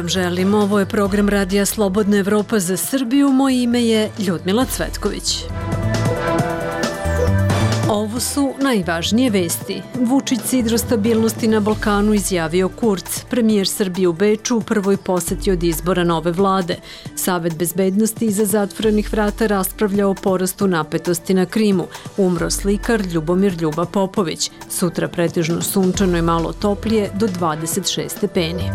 vam želim. Ovo je program Radija Slobodna Evropa za Srbiju. Moje ime je Ljudmila Cvetković. Ovo su najvažnije vesti. Vučić sidro stabilnosti na Balkanu izjavio Kurz. Premijer Srbije u Beču u prvoj poseti od izbora nove vlade. Savet bezbednosti iza zatvorenih vrata raspravlja o porastu napetosti na Krimu. Umro slikar Ljubomir Ljuba Popović. Sutra pretežno sunčano i malo toplije do 26 stepeni.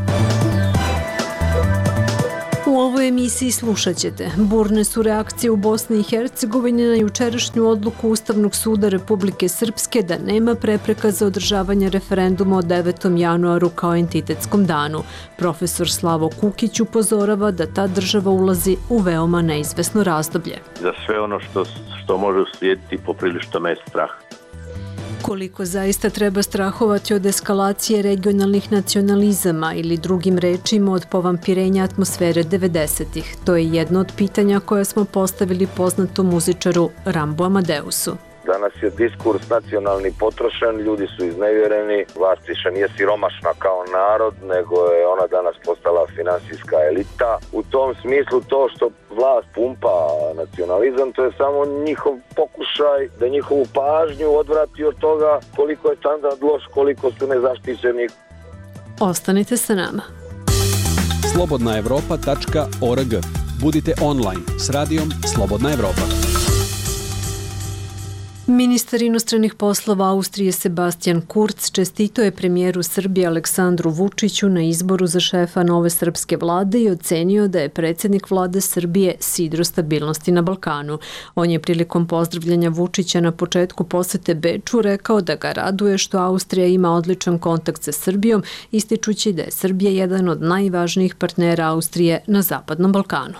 U ovoj emisiji slušat ćete. Burne su reakcije u Bosni i Hercegovini na jučerašnju odluku Ustavnog suda Republike Srpske da nema prepreka za održavanje referenduma o 9. januaru kao entitetskom danu. Profesor Slavo Kukić upozorava da ta država ulazi u veoma neizvesno razdoblje. Za sve ono što može uslijediti poprilično me strah. Koliko zaista treba strahovati od eskalacije regionalnih nacionalizama ili drugim rečima od povampirenja atmosfere 90-ih? To je jedno od pitanja koje smo postavili poznatom muzičaru Rambu Amadeusu. Danas je diskurs nacionalni potrošen, ljudi su iznevjereni, vlast više nije siromašna kao narod, nego je ona danas postala finansijska elita. U tom smislu to što vlast pumpa nacionalizam, to je samo njihov pokušaj da njihovu pažnju odvrati od toga koliko je standard loš, koliko su nezaštićeni. Ostanite sa nama. slobodnaevropa.org. Budite online s radijom Slobodna Evropa. Ministar inostranih poslova Austrije Sebastian Kurz čestitao je premijeru Srbije Aleksandru Vučiću na izboru za šefa nove srpske vlade i ocenio da je predsjednik vlade Srbije sidro stabilnosti na Balkanu. On je prilikom pozdravljanja Vučića na početku posete Beču rekao da ga raduje što Austrija ima odličan kontakt sa Srbijom, ističući da je Srbija jedan od najvažnijih partnera Austrije na Zapadnom Balkanu.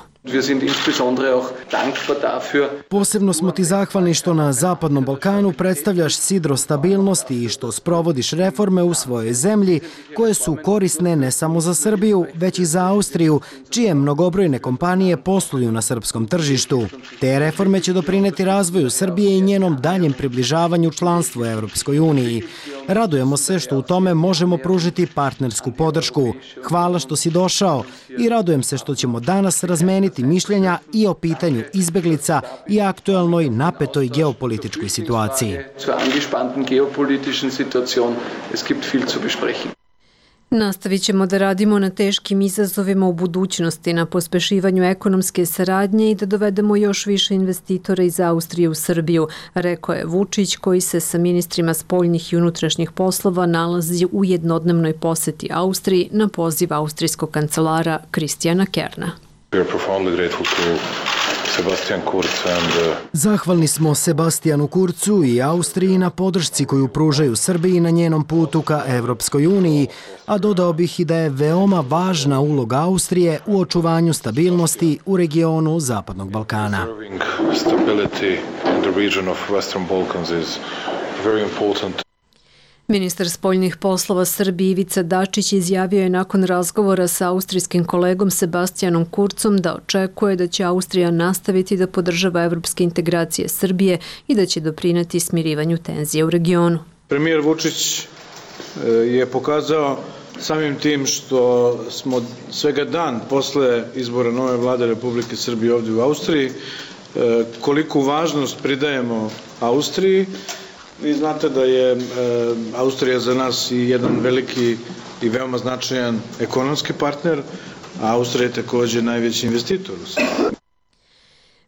Posebno smo ti zahvalni što na Zapadnom Balkanu predstavljaš sidro stabilnosti i što sprovodiš reforme u svojoj zemlji koje su korisne ne samo za Srbiju, već i za Austriju, čije mnogobrojne kompanije posluju na srpskom tržištu. Te reforme će doprineti razvoju Srbije i njenom daljem približavanju članstvu Evropskoj uniji. Radujemo se što u tome možemo pružiti partnersku podršku. Hvala što si došao i radujem se što ćemo danas razmeniti mišljenja i o pitanju izbeglica i aktuelnoj napetoj geopolitičkoj situaciji. Nastavit ćemo da radimo na teškim izazovima u budućnosti, na pospešivanju ekonomske saradnje i da dovedemo još više investitora iz Austrije u Srbiju, rekao je Vučić, koji se sa ministrima spoljnih i unutrašnjih poslova nalazi u jednodnevnoj poseti Austriji na poziv austrijskog kancelara Kristijana Kerna. Zahvalni smo Sebastijanu Kurcu i Austriji na podršci koju pružaju Srbiji na njenom putu ka Evropskoj uniji, a dodao bih i da je veoma važna uloga Austrije u očuvanju stabilnosti u regionu Zapadnog Balkana. Ministar spoljnih poslova Srbije Ivica Dačić izjavio je nakon razgovora sa austrijskim kolegom Sebastijanom Kurcom da očekuje da će Austrija nastaviti da podržava evropske integracije Srbije i da će doprineti smirivanju tenzije u regionu. Premijer Vučić je pokazao samim tim što smo svega dan posle izbora nove vlade Republike Srbije ovdje u Austriji, koliku važnost pridajemo Austriji. Vi znate da je Austrija za nas i jedan veliki i veoma značajan ekonomski partner, a Austrija je također najveći investitor u Srbiji.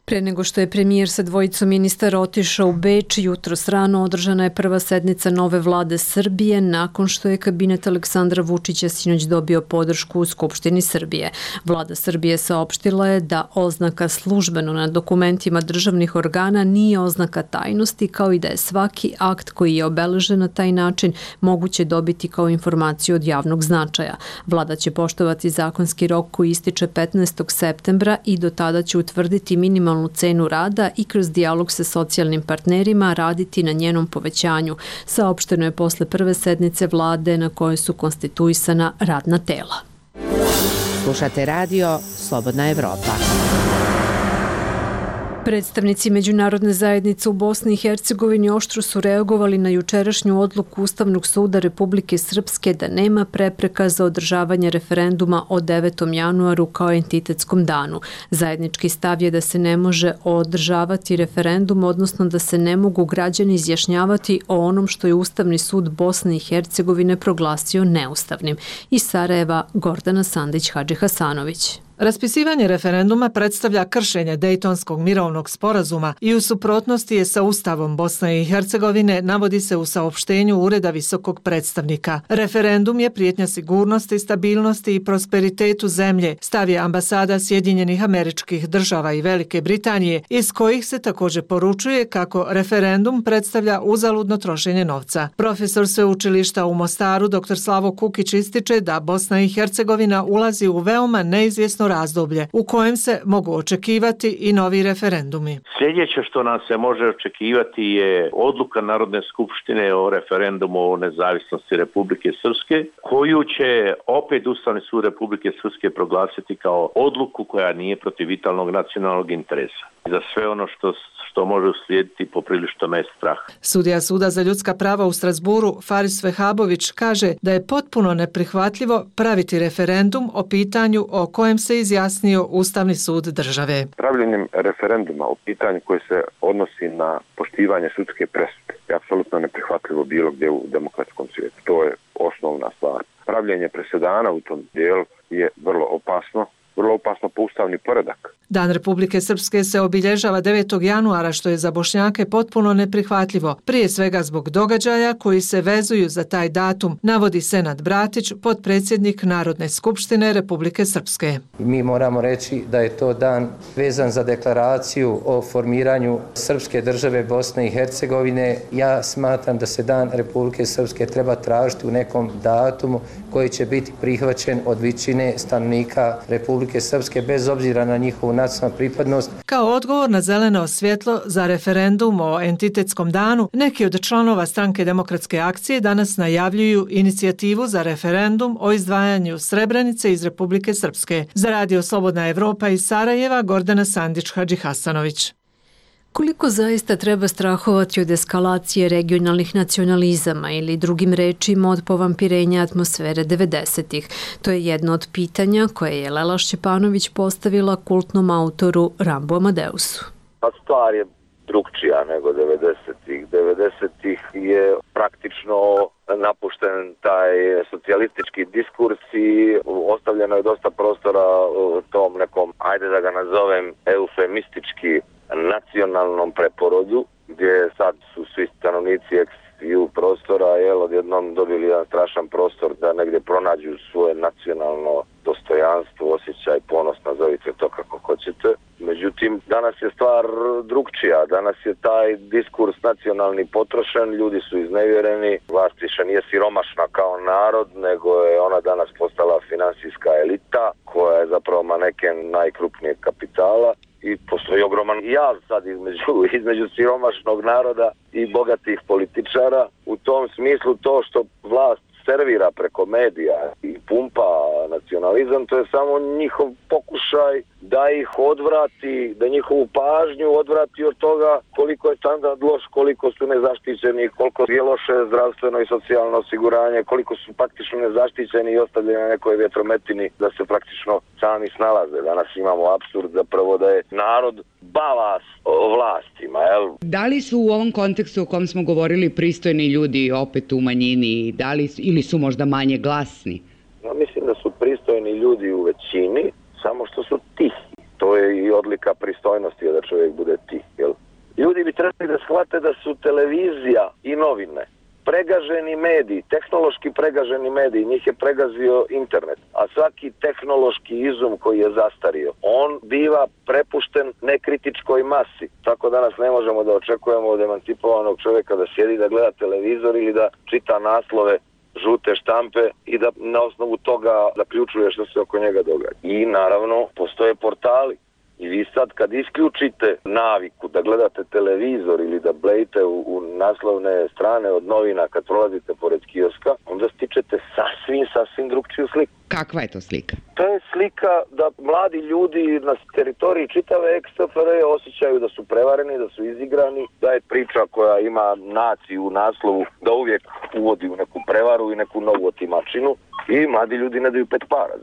Pre nego što je premijer sa dvojicom ministara otišao u Beč, jutros rano održana je prva sednica nove vlade Srbije nakon što je kabinet Aleksandra Vučića sinoć dobio podršku u Skupštini Srbije. Vlada Srbije saopštila je da oznaka službeno na dokumentima državnih organa nije oznaka tajnosti, kao i da je svaki akt koji je obeležen na taj način moguće dobiti kao informaciju od javnog značaja. Vlada će poštovati zakonski rok koji ističe 15. septembra i do tada će utvrditi minimalnu cenu rada i kroz dijalog sa socijalnim partnerima raditi na njenom povećanju. Saopšteno je posle prve sednice vlade na kojoj su konstituisana radna tela. Slušate radio Slobodna Evropa. Predstavnici međunarodne zajednice u Bosni i Hercegovini oštro su reagovali na jučerašnju odluku Ustavnog suda Republike Srpske da nema prepreka za održavanje referenduma o 9. januaru kao entitetskom danu. Zajednički stav je da se ne može održavati referendum, odnosno da se ne mogu građani izjašnjavati o onom što je Ustavni sud Bosne i Hercegovine proglasio neustavnim. Iz Sarajeva, Gordana Sandić-Hadžihasanović. Raspisivanje referenduma predstavlja kršenje Dejtonskog mirovnog sporazuma i u suprotnosti je sa Ustavom Bosne i Hercegovine, navodi se u saopštenju Ureda visokog predstavnika. Referendum je prijetnja sigurnosti, stabilnosti i prosperitetu zemlje, stav je ambasada Sjedinjenih Američkih Država i Velike Britanije, iz kojih se također poručuje kako referendum predstavlja uzaludno trošenje novca. Profesor sveučilišta u Mostaru, dr. Slavo Kukić, ističe da Bosna i Hercegovina ulazi u veoma neizvjesno razdoblje u kojem se mogu očekivati i novi referendumi. Sljedeće što nam se može očekivati je odluka Narodne skupštine o referendumu o nezavisnosti Republike Srpske, koju će opet Ustavni sud Republike Srpske proglasiti kao odluku koja nije protiv vitalnog nacionalnog interesa. Za sve ono što može uslijediti poprilično me strah. Sudija Suda za ljudska prava u Strasburu Faris Vehabović kaže da je potpuno neprihvatljivo praviti referendum o pitanju o kojem se izjasnio Ustavni sud države. Pravljenjem referenduma o pitanju koje se odnosi na poštivanje sudske presude je apsolutno neprihvatljivo bilo gdje u demokratskom svijetu. To je osnovna stvar. Pravljenje presedana u tom dijelu je vrlo opasno po ustavni poredak. Dan Republike Srpske se obilježava 9. januara, što je za Bošnjake potpuno neprihvatljivo, prije svega zbog događaja koji se vezuju za taj datum, navodi Senad Bratić, potpredsjednik Narodne skupštine Republike Srpske. Mi moramo reći da je to dan vezan za deklaraciju o formiranju Srpske države Bosne i Hercegovine. Ja smatram da se dan Republike Srpske treba tražiti u nekom datumu koji će biti prihvaćen od većine stanovnika Republike Srpske bez obzira na njihovu nacionalnu pripadnost. Kao odgovor na zeleno svjetlo za referendum o entitetskom danu, neki od članova Stranke demokratske akcije danas najavljuju inicijativu za referendum o izdvajanju Srebrenice iz Republike Srpske. Za Radio Slobodna Evropa iz Sarajeva, Gordana Sandić-Hadžihasanović. Koliko zaista treba strahovati od eskalacije regionalnih nacionalizama ili drugim rečima od povampirenja atmosfere 90-ih? To je jedno od pitanja koje je Lela Šćepanović postavila kultnom autoru Rambu Amadeusu. Stvar je drugčija nego 90-ih. 90-ih je praktično napušten taj socijalistički diskurs i ostavljeno je dosta prostora tom nekom, ajde da ga nazovem, eufemistički nacionalnom preporodu, gdje sad su svi stanovnici ex-EU prostora odjednom dobili jedan strašan prostor da negdje pronađu svoje nacionalno dostojanstvo, osjećaj, ponos, nazovite to kako hoćete. Međutim, danas je stvar drugčija. Danas je taj diskurs nacionalni potrošen, ljudi su iznevjereni, vlast više nije siromašna kao narod, nego je ona danas postala finansijska elita koja je zapravo maneken najkrupnijeg kapitala. I postoji ogroman jaz sad između siromašnog naroda i bogatih političara. U tom smislu to što vlast servira preko medija i pumpa nacionalizam, to je samo njihov pokušaj da ih odvrati, da njihovu pažnju odvrati od toga koliko je standard loš, koliko su nezaštićeni, koliko je loše zdravstveno i socijalno osiguranje, koliko su praktično nezaštićeni i ostavljeni na nekoj vjetrometini da se praktično sami snalaze. Danas imamo apsurd zapravo da je narod balas vlastima. Da li su u ovom kontekstu o kom smo govorili pristojni ljudi opet u manjini, ili su možda manje glasni? Mislim da su pristojni ljudi u većini, samo što su tihi. To je i odlika pristojnosti da čovjek bude tih. Ljudi bi trebali da shvate da su televizija i novine pregaženi mediji, tehnološki pregaženi mediji, njih je pregazio internet, a svaki tehnološki izum koji je zastario, on biva prepušten nekritičkoj masi. Tako danas ne možemo da očekujemo od emancipovanog čovjeka da sjedi, da gleda televizor ili da čita naslove žute štampe i da na osnovu toga zaključuje što se oko njega događa. I naravno postoje portali I vi sad kad isključite naviku da gledate televizor ili da blejite u naslovne strane od novina kad prolazite pored kioska, onda stičete sasvim drugčiju sliku. Kakva je to slika? To je slika da mladi ljudi na teritoriji čitave ex-SFRJ osjećaju da su prevareni, da su izigrani, da je priča koja ima naciju u naslovu da uvijek uvodi u neku prevaru i neku novu otimačinu i mladi ljudi ne daju pet para.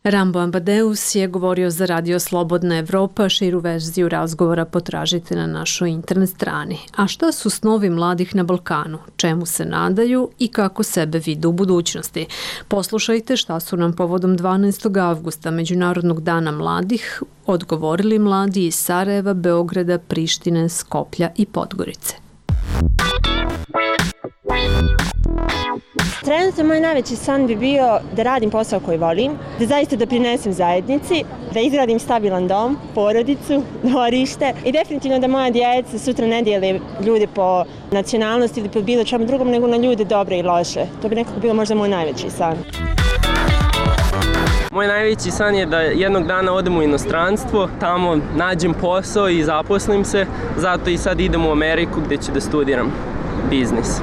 Rambo Ambadeus je govorio za Radio Slobodna Evropa, širu verziju razgovora potražite na našoj internet strani. A šta su snovi mladih na Balkanu, čemu se nadaju i kako sebe vide u budućnosti? Poslušajte šta su nam povodom 12. avgusta, Međunarodnog dana mladih, odgovorili mladi iz Sarajeva, Beograda, Prištine, Skoplja i Podgorice. Trenutno moj najveći san bi bio da radim posao koji volim, da zaista doprinesem zajednici, da izgradim stabilan dom, porodicu, dvorište i definitivno da moja djeca sutra ne dijele ljude po nacionalnosti ili po bilo čemu drugom, nego na ljude dobre i loše. To bi nekako bilo možda moj najveći san. Moj najveći san je da jednog dana odem u inostranstvo, tamo nađem posao i zaposlim se, zato i sad idem u Ameriku gdje ću da studiram biznis.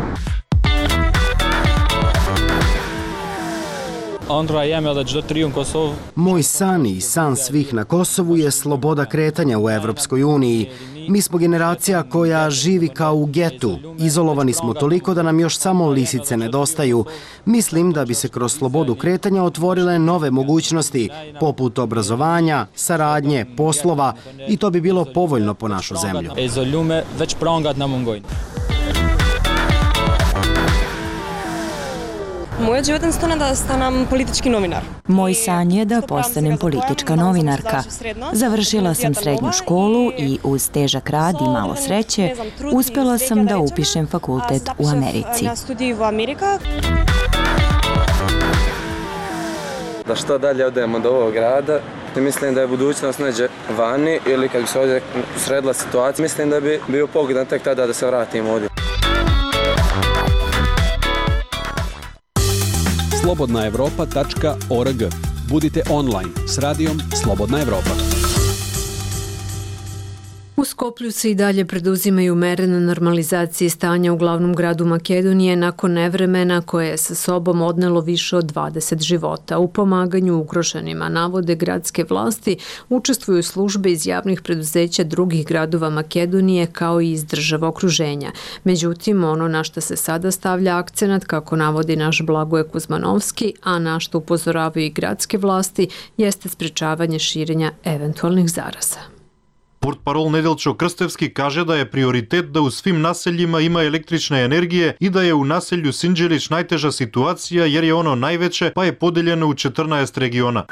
Moj san i san svih na Kosovu je sloboda kretanja u Evropskoj uniji. Mi smo generacija koja živi kao u getu. Izolovani smo toliko da nam još samo lisice nedostaju. Mislim da bi se kroz slobodu kretanja otvorile nove mogućnosti, poput obrazovanja, saradnje, poslova i to bi bilo povoljno po našu zemlju. Moja životna stana da stanam politički novinar. Moj san je da postanem politička novinarka. Završila sam srednju školu i uz težak rad i malo sreće uspjela sam da upišem fakultet u Americi. Da što dalje odemo od ovog grada, mislim da je budućnost neđe vani ili kad bi se ovdje sredila situacija, mislim da bi bio pogodan tek tada da se vratim ovdje. slobodnaevropa.org. Budite online s radijom Slobodna Evropa. U Skoplju se i dalje preduzimaju mere na normalizaciji stanja u glavnom gradu Makedonije nakon nevremena koje je sa sobom odnelo više od 20 života. U pomaganju ugroženima, navode gradske vlasti, učestvuju službe iz javnih preduzeća drugih gradova Makedonije kao i iz država okruženja. Međutim, ono na što se sada stavlja akcenat, kako navodi naš Blagoje Kuzmanovski, a na što upozoravaju i gradske vlasti, jeste sprečavanje širenja eventualnih zaraza. Портпарол Неделчо Крстевски каже да е приоритет да у свим населјима има електрична енергија и да е у населју Синџелич најтежа ситуација jer je ono najveće pa je podeljeno u 14 regiona.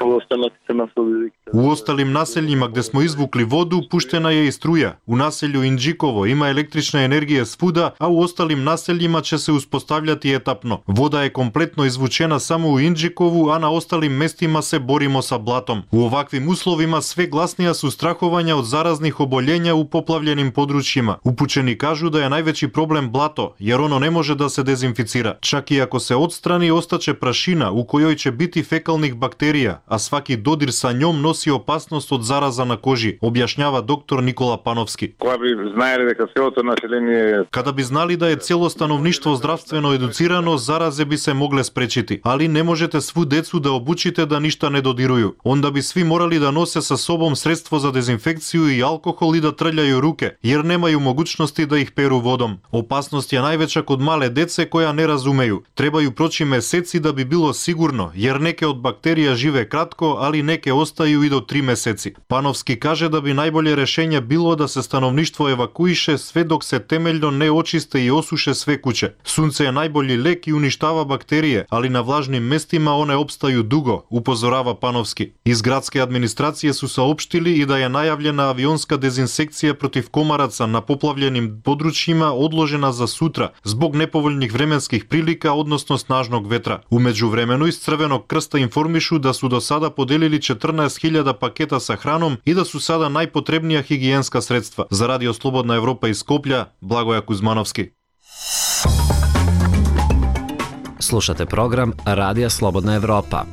U ostalim naseljima gde smo izvukli vodu puštena je i struja. U naselju Indžikovo ima električna energija svuda, a u ostalim naseljima će se uspostavljati etapno. Voda je kompletno izvučena samo u Indžikovu, a na ostalim mestima se borimo sa blatom. U ovakvim uslovima sve glasnija su strahovanja od zaraznih oboljenja u poplavljenim područjima. Upućeni kažu da je najveći problem blato, jer ono ne može da se dezinficira. Čak i ako se odstrani, ostaće prašina u kojoj će biti fekalnih bakterija, a svaki dodir sa njom nosi opasnost od zaraza na koži, objašnjava doktor Nikola Panovski. Kada bi znali da je cijelo stanovništvo zdravstveno educirano, zaraze bi se mogle sprečiti, ali ne možete svu decu da obučite da ništa ne dodiruju. Onda bi svi morali da nose sa sobom sredstvo za dezinfekciju i alkohol i da trljaju ruke, jer nemaju mogućnosti da ih peru vodom. Opasnost je najveća kod male dece koja ne razumeju. Trebaju proći meseci da bi bilo sigurno, jer neke od bakterija žive kratko, ali neke ostaju i do 3 meseci. Panovski kaže da bi najbolje rešenje bilo da se stanovništvo evakuiše sve dok se temeljno ne očiste i osuše sve kuće. Sunce je najbolji lek i uništava bakterije, ali na vlažnim mestima one opstaju dugo, upozorava Panovski. Iz gradske administracije su saopštili i da je najavljena avionska dezinsekcija protiv komaraca na poplavljenim područjima odložena za sutra zbog nepovoljnih vremenskih prilika, odnosno snažnog vetra. U međuvremenu iz Crvenog krsta informišu da su do sada podelili 14.000 paketa sa hranom i da su sada najpotrebnija higijenska sredstva. Za Radio Slobodna Evropa iz Skoplja, Blagoja Kuzmanovski. Slušate program Radija Slobodna Evropa.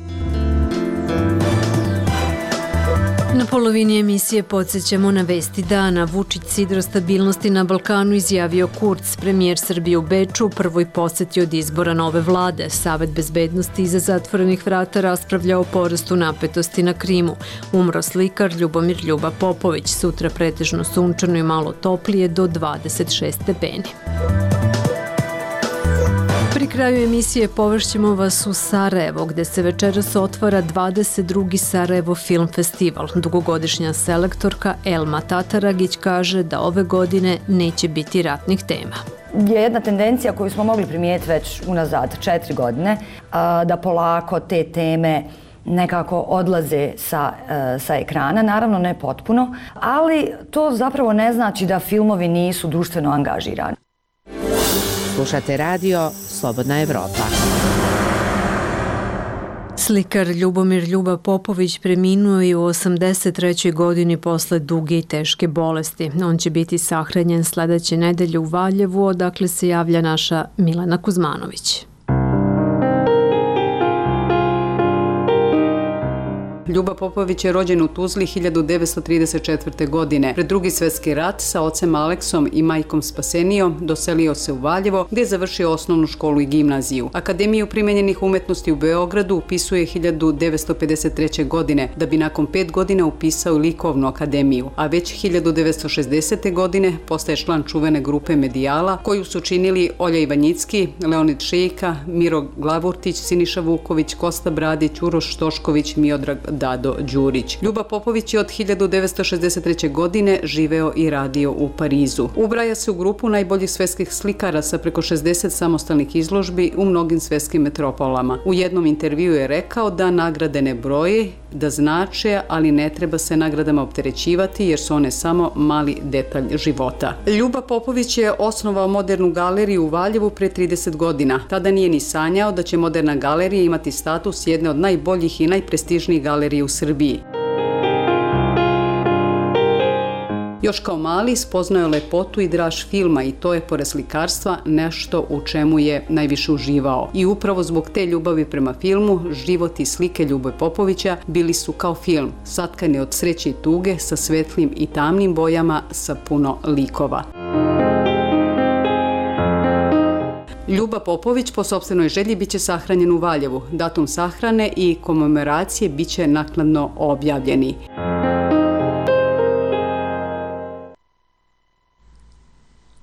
Na polovini emisije podsjećamo na vesti dana. Vučić sidro stabilnosti na Balkanu izjavio Kurz. Premijer Srbije u Beču u prvoj poseti od izbora nove vlade. Savet bezbednosti iza zatvorenih vrata raspravlja o porastu napetosti na Krimu. Umro slikar Ljubomir Ljuba Popović. Sutra pretežno sunčano i malo toplije do 26 stepeni. Pri kraju emisije povešćemo vas u Sarajevo, gde se večeras otvara 22. Sarajevo Film Festival. Dugogodišnja selektorka Elma Tataragić kaže da ove godine neće biti ratnih tema. Je jedna tendencija koju smo mogli primijetiti već unazad 4 godine, da polako te teme nekako odlaze sa ekrana, naravno ne potpuno, ali to zapravo ne znači da filmovi nisu društveno angažirani. Slušate radio Slobodna Evropa. Slikar Ljubomir Ljuba Popović preminuo je u 83. godini posle duge i teške bolesti. On će biti sahranjen sledeće nedelje u Valjevu, odakle se javlja naša Milena Kuzmanović. Ljuba Popović je rođen u Tuzli 1934. godine. Pred Drugi svjetski rat sa ocem Aleksom i majkom Spasenijom doselio se u Valjevo, gdje je završio osnovnu školu i gimnaziju. Akademiju primenjenih umetnosti u Beogradu upisuje 1953. godine, da bi nakon 5 godina upisao i likovnu akademiju, a već 1960. godine postaje član čuvene grupe Medijala, koju su činili Olja Ivanjicki, Leonid Šejka, Miro Glavurtić, Siniša Vuković, Kosta Bradić, Uroš Tošković, Miodrag Dado Đurić. Ljuba Popović je od 1963. godine živeo i radio u Parizu. Ubraja se u grupu najboljih svetskih slikara sa preko 60 samostalnih izložbi u mnogim svetskim metropolama. U jednom intervjuu je rekao da nagrade ne broje, da znače, ali ne treba se nagradama opterećivati jer su one samo mali detalj života. Ljuba Popović je osnovao Modernu galeriju u Valjevu pre 30 godina. Tada nije ni sanjao da će Moderna galerija imati status jedne od najboljih i najprestižnijih galerija u Srbiji. Još kao mali spoznao je lepotu i draž filma i to je pored slikarstva nešto u čemu je najviše uživao. I upravo zbog te ljubavi prema filmu, život i slike Ljube Popovića bili su kao film, satkani od sreće i tuge sa svetlim i tamnim bojama sa puno likova. Ljuba Popović po sopstvenoj želji biće sahranjen u Valjevu. Datum sahrane i komemoracije biće naknadno objavljeni.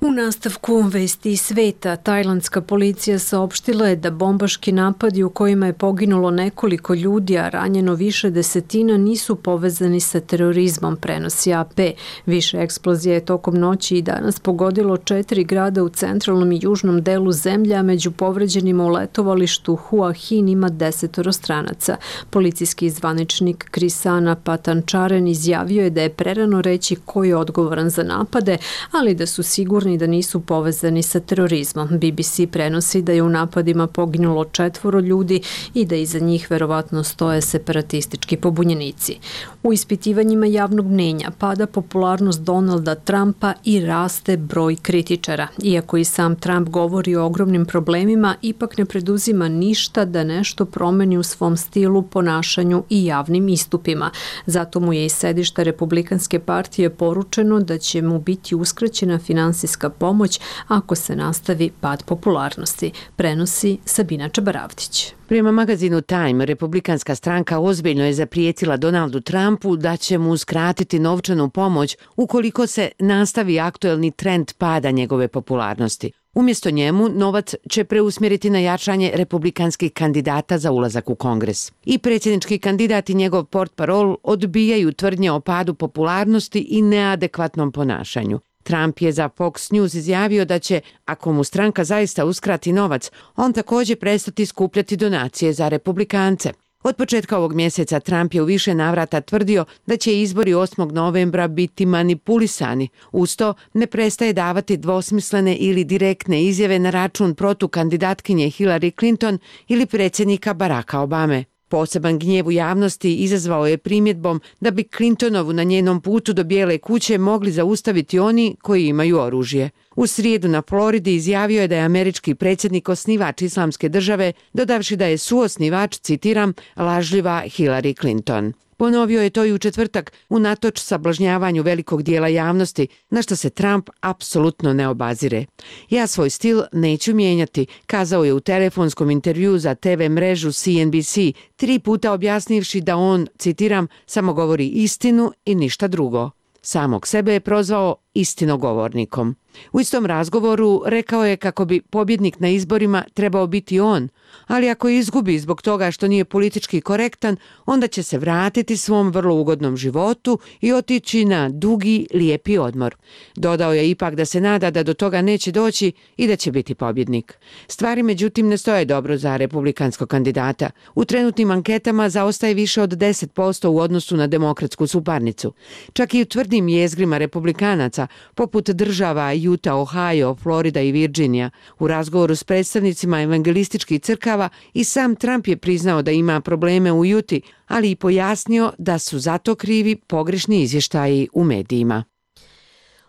U nastavku vesti iz sveta, tajlandska policija saopštila je da bombaški napadi u kojima je poginulo nekoliko ljudi, a ranjeno više desetina, nisu povezani sa terorizmom, prenosi AP. Više eksplozija je tokom noći i danas pogodilo 4 grada u centralnom i južnom delu zemlje, a među povređenima u letovalištu Hua Hin ima 10 stranaca. Policijski zvaničnik Krisana Patančaren izjavio je da je prerano reći ko je odgovoran za napade, ali da su sigurni da nisu povezani sa terorizmom. BBC prenosi da je u napadima poginulo 4 ljudi i da iza njih verovatno stoje separatistički pobunjenici. U ispitivanjima javnog mnenja pada popularnost Donalda Trumpa i raste broj kritičara. Iako i sam Trump govori o ogromnim problemima, ipak ne preduzima ništa da nešto promeni u svom stilu, ponašanju i javnim istupima. Zato mu je iz sedišta Republikanske partije poručeno da će mu biti uskraćena finansijska pomoć ako se nastavi pad popularnosti, prenosi Sabina Čabaravdić. Prema magazinu Time, Republikanska stranka ozbiljno je zaprijetila Donaldu Trumpu da će mu uskratiti novčanu pomoć ukoliko se nastavi aktuelni trend pada njegove popularnosti. Umjesto njemu, novac će preusmjeriti na jačanje republikanskih kandidata za ulazak u Kongres. I predsjednički kandidat i njegov portparol odbijaju tvrdnje o padu popularnosti i neadekvatnom ponašanju. Trump je za Fox News izjavio da će, ako mu stranka zaista uskrati novac, on također prestati skupljati donacije za republikance. Od početka ovog mjeseca Trump je u više navrata tvrdio da će izbori 8. novembra biti manipulisani. Uz to ne prestaje davati dvosmislene ili direktne izjave na račun protukandidatkinje Hillary Clinton ili predsjednika Baracka Obame. Poseban gnjev u javnosti izazvao je primjedbom da bi Clintonovu na njenom putu do Bijele kuće mogli zaustaviti oni koji imaju oružje. U srijedu na Floridi izjavio je da je američki predsjednik osnivač Islamske države, dodavši da je suosnivač, citiram, lažljiva Hillary Clinton. Ponovio je to i u četvrtak unatoč sablažnjavanju velikog dijela javnosti, na što se Trump apsolutno ne obazire. Ja svoj stil neću mijenjati, kazao je u telefonskom intervjuu za TV mrežu CNBC, 3 puta objasnivši da on, citiram, samo govori istinu i ništa drugo. Samog sebe je prozvao istinogovornikom. U istom razgovoru rekao je kako bi pobjednik na izborima trebao biti on, ali ako izgubi zbog toga što nije politički korektan, onda će se vratiti svom vrlo ugodnom životu i otići na dugi, lijepi odmor. Dodao je ipak da se nada da do toga neće doći i da će biti pobjednik. Stvari međutim ne stoje dobro za republikanskog kandidata. U trenutnim anketama zaostaje više od 10% u odnosu na demokratsku suparnicu. Čak i u tvrdim jezgrima republikanaca, poput država Utah, Ohio, Florida i Virginia. U razgovoru s predstavnicima evangelističkih crkava i sam Trump je priznao da ima probleme u Juti, ali i pojasnio da su zato krivi pogrešni izvještaji u medijima.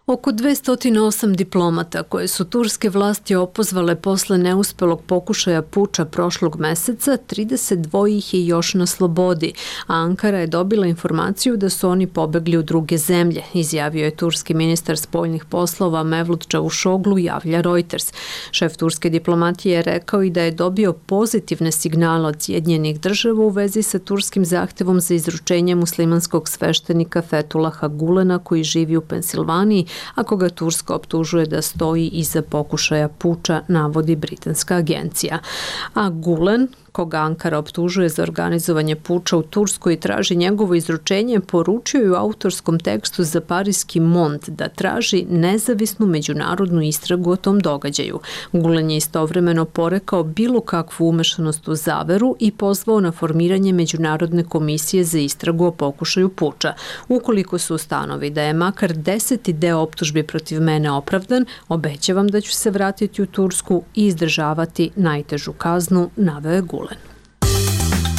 Oko 208 diplomata koje su turske vlasti opozvale posle neuspelog pokušaja puča prošlog meseca, 32 ih je još na slobodi, a Ankara je dobila informaciju da su oni pobegli u druge zemlje, izjavio je turski ministar spoljnih poslova Mevlut Čavuşoglu, javlja Reuters. Šef turske diplomatije je rekao i da je dobio pozitivne signale od Sjedinjenih država u vezi sa turskim zahtevom za izručenje muslimanskog sveštenika Fethulaha Gulena koji živi u Pensilvaniji, a koga Turska optužuje da stoji iza pokušaja puča, navodi britanska agencija. A Gulen, koga Ankara optužuje za organizovanje puča u Turskoj i traži njegovo izručenje, poručio je u autorskom tekstu za parijski Mont da traži nezavisnu međunarodnu istragu o tom događaju. Gulen je istovremeno porekao bilo kakvu umešanost u zaveru i pozvao na formiranje Međunarodne komisije za istragu o pokušaju puča. Ukoliko se ustanovi da je makar 10. deo optužbi protiv mene opravdan, obećavam da ću se vratiti u Tursku i izdržavati najtežu kaznu, naveo je Gulen.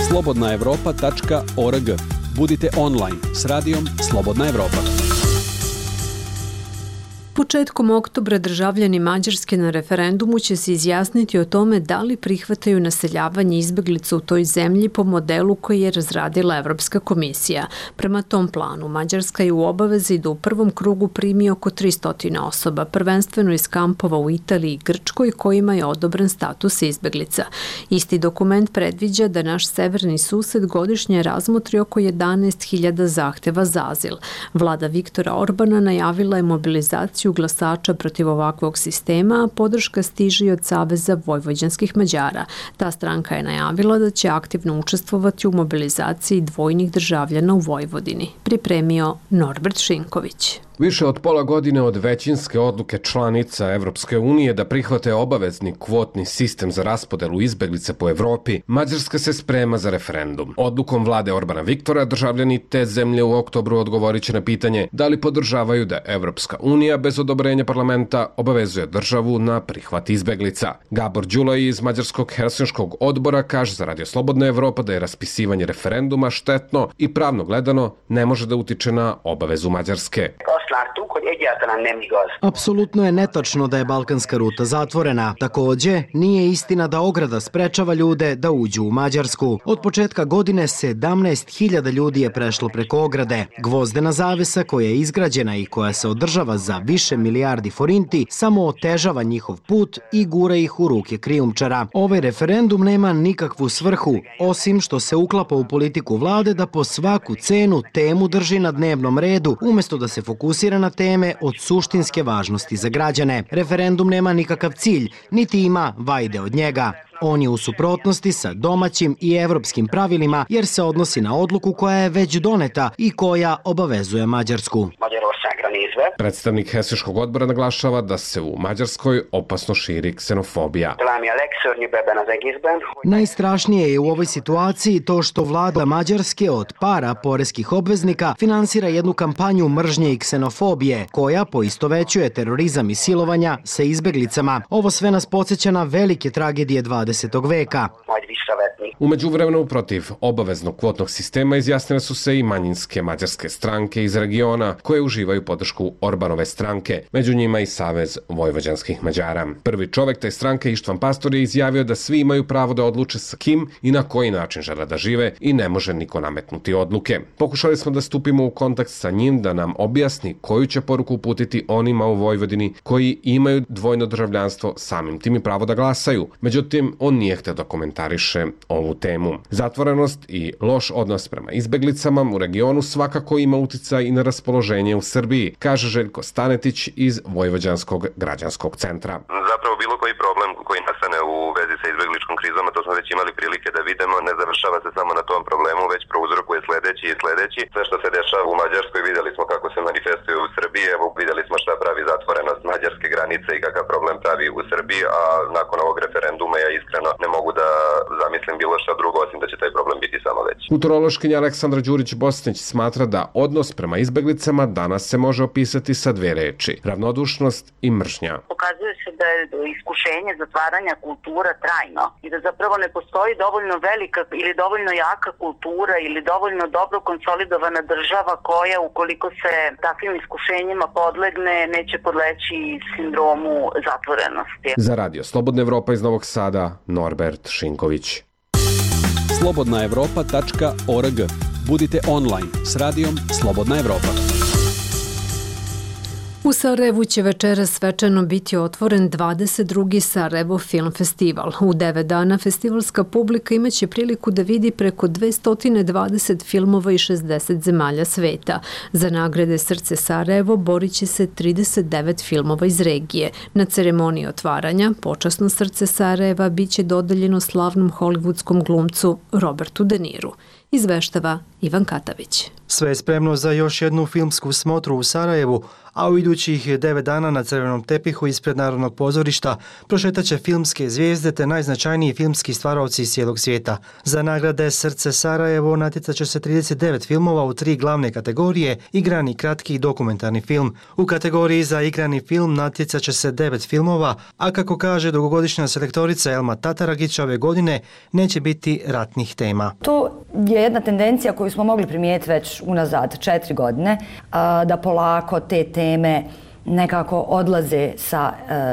Slobodnaevropa.org. Budite online s radijom Slobodna Evropa. Početkom oktobra državljani Mađarske na referendumu će se izjasniti o tome da li prihvataju naseljavanje izbeglica u toj zemlji po modelu koji je razradila Evropska komisija. Prema tom planu, Mađarska je u obavezi da u prvom krugu primi oko 300 osoba, prvenstveno iz kampova u Italiji i Grčkoj kojima je odobren status izbeglica. Isti dokument predviđa da naš severni sused godišnje razmotri oko 11.000 zahteva za azil. Vlada Viktora Orbana najavila je mobilizaciju glasača protiv ovakvog sistema, a podrška stiže i od Saveza vojvođanskih Mađara. Ta stranka je najavila da će aktivno učestvovati u mobilizaciji dvojnih državljana u Vojvodini. Pripremio Norbert Šinković. Više od pola godine od većinske odluke članica Evropske unije da prihvate obavezni kvotni sistem za raspodelu izbeglica po Evropi, Mađarska se sprema za referendum. Odlukom vlade Orbana Viktora državljani te zemlje u oktobru odgovorit će na pitanje da li podržavaju da Evropska unija bez odobrenja parlamenta obavezuje državu na prihvat izbeglica. Gabor Đulaj iz Mađarskog Helsinškog odbora kaže za Radio Slobodna Evropa da je raspisivanje referenduma štetno i pravno gledano ne može da utiče na obavezu Mađarske. Apsolutno je netačno da je balkanska ruta zatvorena. Takođe, nije istina da ograda sprečava ljude da uđu u Mađarsku. Od početka godine 17.000 ljudi je prešlo preko ograde. Gvozdena zavesa koja je izgrađena i koja se održava za više milijardi forinti samo otežava njihov put i gura ih u ruke krijumčara. Ovaj referendum nema nikakvu svrhu, osim što se uklapa u politiku vlade da po svaku cenu temu drži na dnevnom redu, umesto da se fokusira na teme od suštinske važnosti za građane. Referendum nema nikakav cilj, niti ima vajde od njega. On je u suprotnosti sa domaćim i evropskim pravilima jer se odnosi na odluku koja je već doneta i koja obavezuje Mađarsku. Predstavnik Helsinškog odbora naglašava da se u Mađarskoj opasno širi ksenofobija. Najstrašnije je u ovoj situaciji to što vlada Mađarske od para poreskih obveznika finansira jednu kampanju mržnje i ksenofobije koja poistovećuje terorizam i silovanja sa izbeglicama. Ovo sve nas podsjeća na velike tragedije 20. veka. viševetnih. U međuvremenu protiv obaveznog kvotnog sistema izjasnile su se i manjinske mađarske stranke iz regiona koje uživaju podršku Orbanove stranke, među njima i Savez vojvođanskih Mađara. Prvi čovek te stranke Ištvan Pastor je izjavio da svi imaju pravo da odluče sa kim i na koji način žele da žive i ne može niko nametnuti odluke. Pokušali smo da stupimo u kontakt sa njim da nam objasni koju će poruku uputiti onima u Vojvodini koji imaju dvojno državljanstvo, samim tim i pravo da glasaju. Međutim, on nije hteo da komentariše ovu temu. Zatvorenost i loš odnos prema izbeglicama u regionu svakako ima uticaj i na raspoloženje u Srbiji, kaže Željko Stanetić iz Vojvođanskog građanskog centra. Zapravo bilo koji problem koji nastane u vezi sa izbegličkom krizom, to smo već imali prilike da vidimo, ne završava se samo na tom problemu, već prouzrokuje sledeći i sledeći. Sve što se dešava u Mađarskoj videli smo kako se manifestuje u Srbiji, evo videli smo šta pravi zatvorenost mađarske granice i kakav problem pravi u Srbiji, a nakon ovog referenduma ja iskreno ne mogu da zamislim bilo šta drugo osim da će taj problem biti samo veći. Kulturološkinja Aleksandra Đurić-Bosnić smatra da odnos prema izbeglicama danas se može opisati sa dve reči: ravnodušnost i mržnja. Pokazuje se da je iskušenje zatvaranja kultura trajno i da zapravo ne postoji dovoljno velika ili dovoljno jaka kultura ili dovoljno dobro konsolidovana država koja, ukoliko se takvim iskušenjima podlegne, neće podleći sindromu zatvorenosti. Za Radio Slobodna Evropa iz Novog Sada, Norbert Šinković. slobodnaevropa.org. Budite online s radijom Slobodna Evropa. U Sarajevu će večeras svečano biti otvoren 22. Sarajevo Film Festival. U 9 dana festivalska publika imaće priliku da vidi preko 220 filmova i 60 zemalja sveta. Za nagrade Srce Sarajevo borit će se 39 filmova iz regije. Na ceremoniji otvaranja počasno Srce Sarajeva bit će dodeljeno slavnom hollywoodskom glumcu Robertu De Niru. Izveštava Ivan Katavić. Sve je spremno za još jednu filmsku smotru u Sarajevu, a u idućih 9 dana na crvenom tepihu ispred Narodnog pozorišta prošetaće filmske zvijezde te najznačajniji filmski stvaraoci iz cijelog svijeta. Za nagrade Srce Sarajevo natjecaće se 39 filmova u 3 glavne kategorije: igrani, kratki i dokumentarni film. U kategoriji za igrani film natjecaće se 9 filmova, a kako kaže dugogodišnja selektorica Elma Tataragić, ove godine neće biti ratnih tema. To je jedna tendencija koju smo mogli primijetiti već unazad 4 godine, da polako te teme nekako odlaze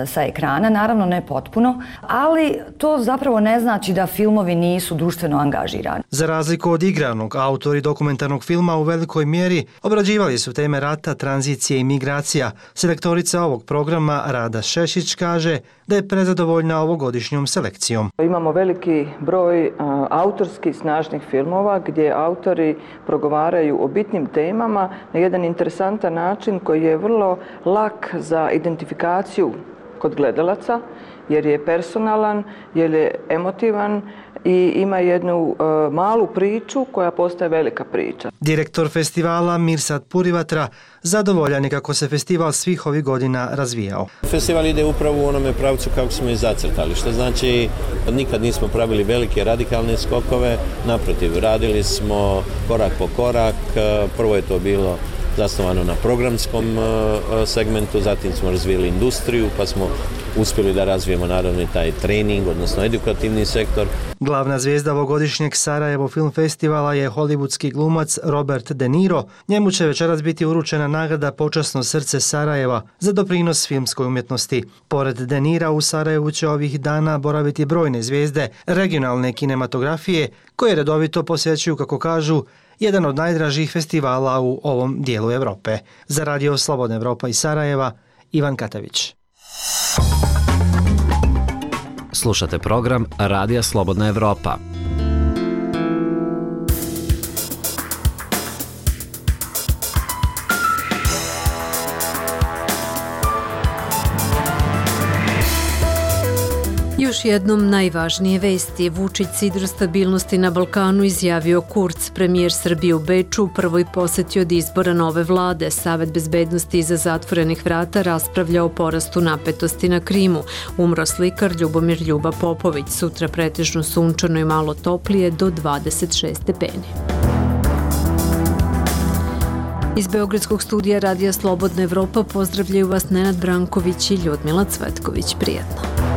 sa ekrana, naravno ne potpuno, ali to zapravo ne znači da filmovi nisu društveno angažirani. Za razliku od igranog, autori dokumentarnog filma u velikoj mjeri obrađivali su teme rata, tranzicije i migracija. Selektorica ovog programa Rada Šešić kaže da je prezadovoljna ovogodišnjom selekcijom. Imamo veliki broj autorskih snažnih filmova gdje autori progovaraju o bitnim temama na jedan interesantan način koji je vrlo lak za identifikaciju kod gledalaca, jer je personalan, jer je emotivan i ima jednu malu priču koja postaje velika priča. Direktor festivala Mirsad Purivatra zadovoljan je kako se festival svih ovih godina razvijao. Festival ide upravo u onome pravcu kako smo i zacrtali, što znači nikad nismo pravili velike radikalne skokove, naprotiv, radili smo korak po korak. Prvo je to bilo zasnovano na programskom segmentu, zatim smo razvijeli industriju, pa smo uspjeli da razvijemo naravno i taj trening, odnosno edukativni sektor. Glavna zvijezda ovogodišnjeg Sarajevo Film Festivala je hollywoodski glumac Robert De Niro. Njemu će večeras biti uručena nagrada Počasno Srce Sarajeva za doprinos filmskoj umjetnosti. Pored De Nira u Sarajevu će ovih dana boraviti brojne zvijezde regionalne kinematografije koje redovito posjećuju, kako kažu, jedan od najdražih festivala u ovom dijelu Evrope. Za Radio Slobodna Evropa iz Sarajeva, Ivan Katavić. Slušate program Radija Slobodna Evropa. Još jednom najvažnije vesti. Vučić sidro stabilnosti na Balkanu izjavio Kurz. Premijer Srbije u Beču u prvoj posjeti od izbora nove vlade. Savet bezbednosti iza zatvorenih vrata raspravlja o porastu napetosti na Krimu. Umro slikar Ljubomir Ljuba Popović. Sutra pretežno sunčano i malo toplije do 26 stepeni. Iz Beogradskog studija Radija Slobodna Evropa pozdravljaju vas Nenad Branković i Ljudmila Cvetković. Prijetno.